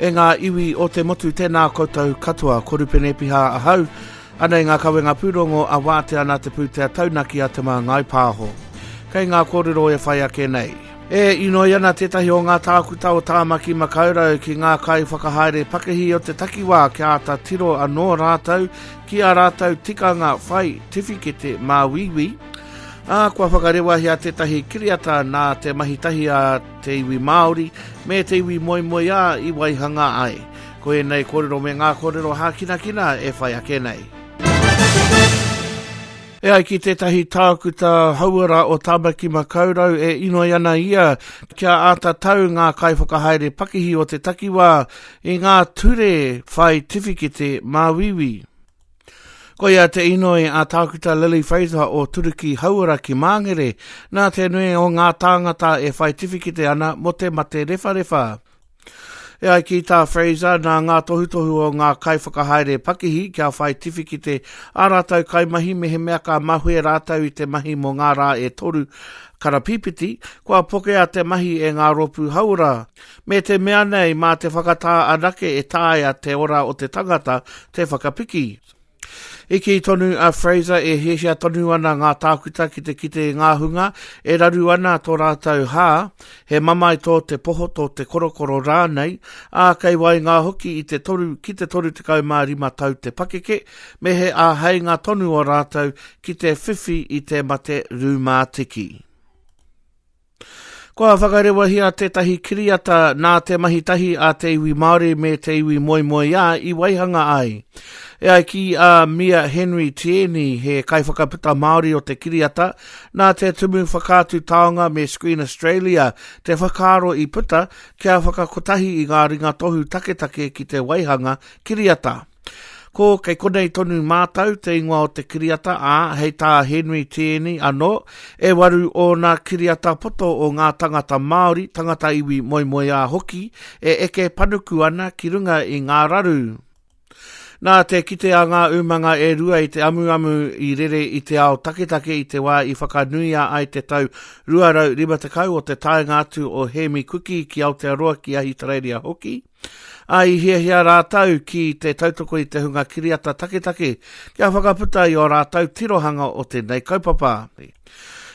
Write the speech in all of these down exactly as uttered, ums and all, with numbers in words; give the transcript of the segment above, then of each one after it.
E ngā iwi o te motu, tēnā koutou katoa, ko Rupene Piha ahau, anei ngā kawenga pūrongo a wātea nā te pūtea taunaki a Te Māngai Pāho. Kei ngā kōrero e whai ake nei. E inoi ana tētahi o ngā tākuta o Tāmaki Makaurau ki ngā kai whakahaere pakihi o te takiwā kia āta tiro anō rātou ki a rātou tikanga whai tiwhikete māuiui. Ā, kua whakarewahia tētahi kiriata nā te mahi tahi a te iwi Māori me te iwi moemoeā i waihanga ai. Ko ēnei kōrero me ngā kōrero hākinakina e whai ake nei. E ai ki tētahi tākuta hauora o Tāmaki Makaurau e inoi ana ia kia āta tau ngā kaiwhakahaere pakihi o te takiwā i ngā ture whai tiwhikete māuiui. Koia te inoi a tākuta Lily Fraser o Turuki Hauora ki Māngere, nā te nui o ngā tāngata e whai tiwhikete ana mō te mate rewharewha. E ai ki tā Fraser, nā ngā tohutohu o ngā kaiwhakahaere pakihi kia whai tiwhikete a rātou kaimahi mehemea ka mahue rātou i te mahi mō ngā rā e toru karapīpiti, kua pokea te mahi e ngā rōpū hauora. Me te mea nei, mā te whakatā anake e taea te ora o te tangata te whakapiki. I kī tonu a Fraser e hiahia tonu ana ngā tākuta ki te kite i ngā hunga e raru ana tō rātou hā, he mamae tō te poho tō te korokoro rānei, ā kei waenga hoki i te toru ki te toru tekau mā rima tau te pakeke, me he āheinga tonu o rātou ki te whiwhi i te mate rūmātiki. Kua whakarewahia tētahi kiriata nā te mahi tahi a te iwi Māori me te iwi moemoeā i waihanga ai. E ai ki a Mia Henry Tieni, he kaiwhakaputa Māori o te kiriata, nā te Tumu Whakaatu Taonga me Screen Australia te whakaaro i puta kia whakakotahi i ngā ringatohu taketake ki te waihanga kiriata. Ko kei konei tonu mātau te ingoa o te kiriata, ā, hei tā Henry Tieni anō, e waru ōna kiriata poto o ngā tangata Māori, tangata iwi moemoeā hoki, e eke panuku ana ki runga i ngā raru. Nā te kite a ngā umanga e rua i te amuamu i rere i te ao taketake i te wā i whakanuia ai te tau rua rau rima tekau o te taenga atu o Hēmi Kuki ki Aotearoa ki Ahitereiria hoki, ā i hiahia rātou ki te tautoko i te hunga kiriata taketake kia whakaputa i ō rātou tirohanga o tēnei kaupapa.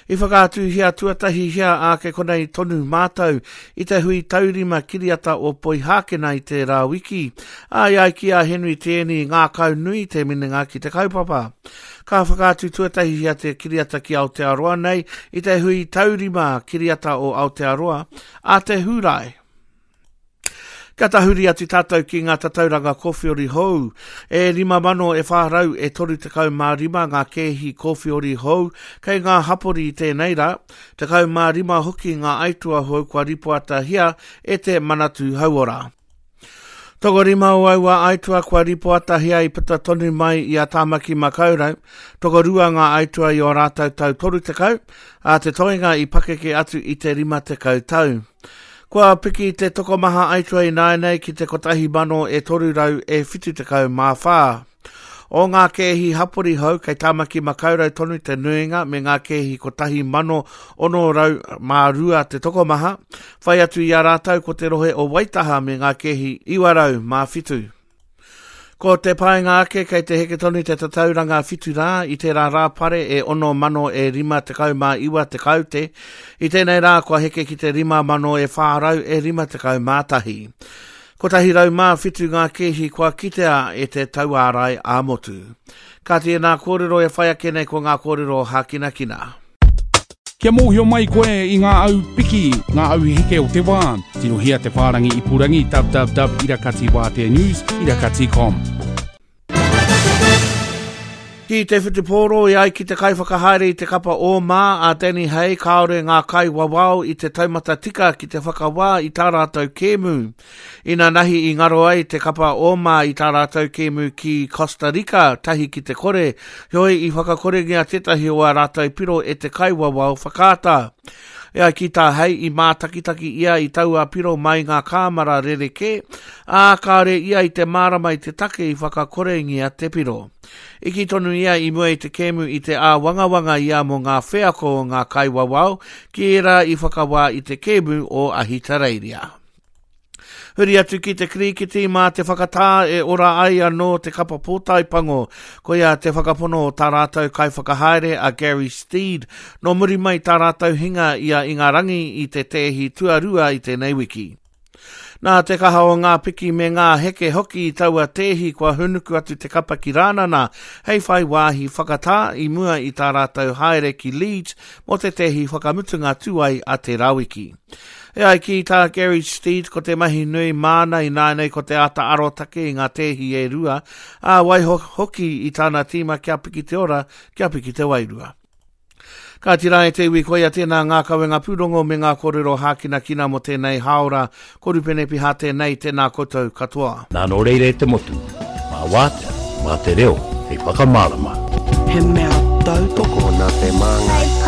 I whakaatuhia tuatahihia ā kei konei tonu mātou i te hui taurima kiriata o Poihākena i tērā wiki, ā i ai ki a Henry Tieni ngākau nui te minenga ki te kaupapa. Ka whakaatu tuatahihia te kiriata ki Aotearoa nei i te hui taurima kiriata o Aotearoa a te Hūrae. Ka tahuri atu tātou ki ngā tatauranga kōwhiori hou. E rima mano e whā rau e toru tekau mā rima ngā kēhi kōwhiori hou kei ngā hapori i tēnei rā, tekau mā rima hoki ngā aitua hou kua ripoatahia e te Manatū Hauora. Tokorima o aua aitua kua ripoatahia i puta tonu mai i a Tāmaki Makaurau, tokorua ngā aitua i o rātou tau toru tekau, ā te toenga i pakeke atu i te rima tekau tau. Kua piki te tokomaha aitua i nāianei ki te kotahi mano e toru rau e whitu tekau mā whā. O ngā kēhi hapori hou kei Tāmaki Makaurau tonu te nuinga me ngā kēhi kotahi mano ono rau mā rua te tokomaha, whai atu i a rātou ko te rohe o Waitaha me ngā kēhi iwa rau mā whitu. Ko te painga ake kei te heke tonu te tatauranga whitu rā i tērā rāpare e ono mano e rima tekau mā iwa tekau te, i tēnei rā kua heke ki te rima mano e whā rau e rima tekau mā tahi. Kotahi rau mā whitu ngā kēhi kua kitea e te tauārai ā-motu. Ka tēnā kōrero e whai ake nei ko ngā kōrero hākinakina. Kia mōhio mai koe i ngā au piki, ngā au heke o te wā. Tirohia te whārangi ipurangi www irakati wātea news irakati com. Ki te whutupōro e ai ki te kaiwhakahaere i te kapa o mā a Danny Hay, kāore ngā kaiwawao i te taumata tika ki te whakawā i tā rātou kēmu. Ina nahi i ngaro ai te kapa o mā i tā rātou kēmu ki Costa Rica, tahi ki te kore, heoi i whakakorengia tētahi o ā rātou piro e te kaiwawao whakaata. E ai ki tā Hay i mātakitaki ia i taua piro mai ngā kāmara rerekē, ā kāore ia i te mārama i te take i whakakorengia te piro. I kī tonu ia i mua i te kēmu i te āwangawanga ia mō ngā wheako o ngā kaiwawao ki ērā i whakawā i te kēmu o Ahitereiria. Huri atu ki te kirikiti mā te whakatā e ora ai anō te kapa pōtae pango. Koia te whakapono o tā rātou kaiwhakahaere a Gary Steed. Nō muri mai tā rātou hinga i a Ingarangi i te tēhi tuarua i tēnei wiki. Nā te kaha o ngā piki me ngā heke hoki i taua tēhi kua hunuku atu te kapa ki Rānana hei whai wāhi whakatā i mua i tā rātou haere ki Leeds mō te tēhi whakamutunga tūai a te Rawiki. E ai ki tā Gary Steed ko te mahi nui māna i nānei ko te āta arotake i ngā tēhi e rua, ā waiho hoki i tāna tīma kia piki te ora, kia piki te wairua. Ka tira e te iwi koia tēnā ngā kawenga pūrongo me ngā kōrero hākinakina mō tēnei hāora. Ko Rupene Piha tēnei, tēnā koutou katoa. Nā nō reira e te motu, mā wātea, mā te reo, hei whakamārama. He mea tautoko Nā te māngai